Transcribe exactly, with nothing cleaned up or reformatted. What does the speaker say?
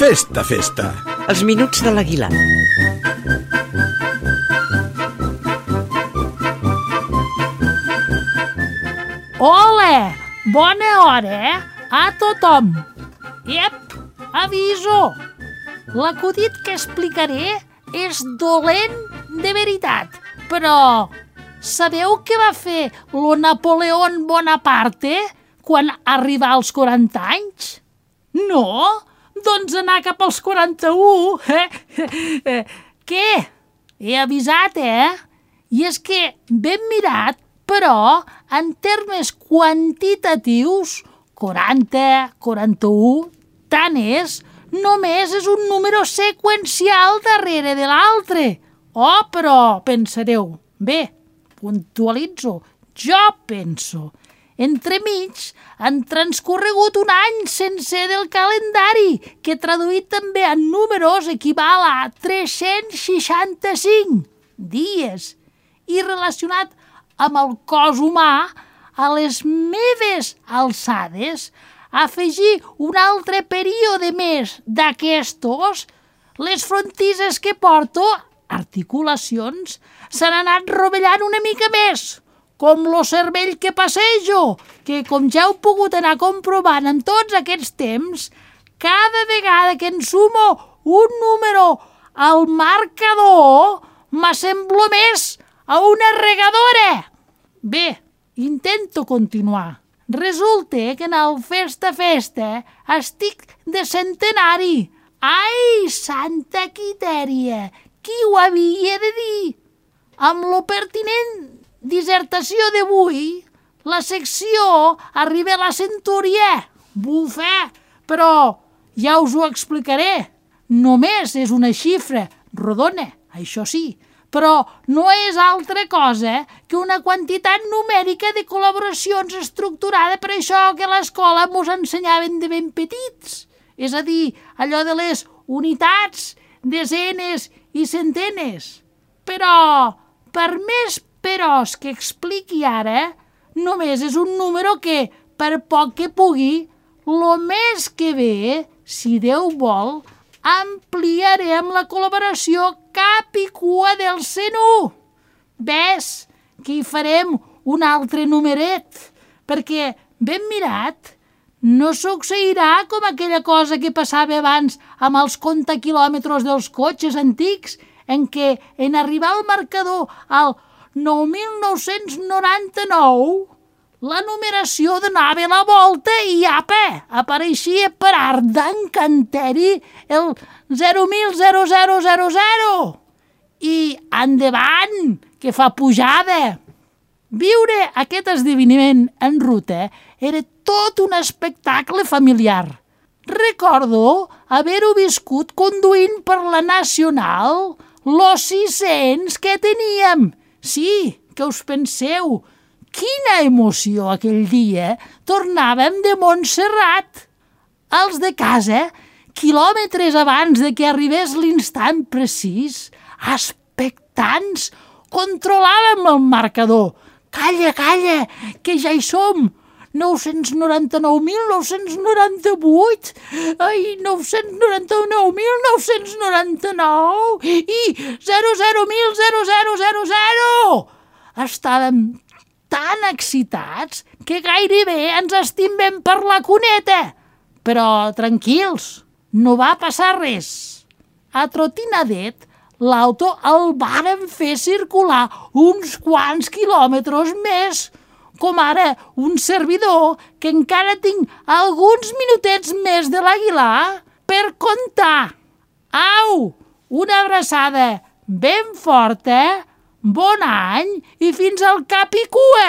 Festa, festa. Els minuts de l'Aguilar. Ole! Bona hora, eh? A tothom! Ep! Aviso! L'acudit que explicaré és dolent de veritat, però sabeu què va fer lo Napoleón Bonaparte quan arribà als quaranta anys? No? Doncs anar cap als quaranta-u. Què? He avisat, eh? I és que ben mirat, però en termes quantitatius, quaranta, quaranta-u, tant és, només és un número seqüencial darrere de l'altre. Oh, però pensareu, bé, puntualitzo, jo penso. Entremig han transcorregut un any sencer del calendari, que traduït també en números equival a tres-cents seixanta-cinc dies, i relacionat amb el cos humà, a les meves alçades, afegir un altre període més d'aquestos, les frontisses que porto, articulacions, s'han anat rovellant una mica més, com lo cervell que passejo, que com ja heu pogut anar comprovant en tots aquests temps, cada vegada que ensumo un número al marcador, m'assemblo més a una regadora. Bé, intento continuar. Resulta que en el festa-festa estic de centenari. Ai, santa Quitèria, qui ho havia de dir? Amb lo pertinent dissertació d'avui, la secció arriba a la centúria. Bufé, però ja us ho explicaré. Només és una xifra rodona, això sí, però no és altra cosa que una quantitat numèrica de col·laboracions estructurada per això que a l'escola mos ensenyaven de ben petits. És a dir, allò de les unitats, desenes i centenes. Però, per més peròs que expliqui ara, només és un número que, per poc que pugui, lo més que ve, si Déu vol, ampliaré amb la col·laboració cap i cua del cent u. Ves que hi farem un altre numeret, perquè, ben mirat, no succeirà com aquella cosa que passava abans amb els contaquilòmetres dels cotxes antics, en què en arribar al marcador al nou mil nou-cents noranta-nou, la numeració donava la volta i apa, apareixia per art d'encanteri el zero mil zero zero zero zero. I endavant, que fa pujada. Viure aquest esdeveniment en ruta era tot un espectacle familiar. Recordo haver-ho viscut conduint per la Nacional, los sis-cents que teníem. Sí, que us penseu, quina emoció aquell dia, tornàvem de Montserrat. Els de casa, quilòmetres abans de que arribés l'instant precís, expectants, controlàvem el marcador. Calla, calla, que ja hi som. nou-cents noranta-nou mil nou-cents noranta-vuit, ai, nou-cents noranta-nou mil nou-cents noranta-nou i zero zero mil zero zero zero zero. Estàvem tan excitats que gairebé ens estimbem per la cuneta. Però tranquils, no va passar res. A trotinadet, l'auto el vàrem fer circular uns quants quilòmetres més, com ara un servidor que encara tinc alguns minutets més de l'Aguilar per comptar. Au, una abraçada ben forta, bon any i fins al cap i cua!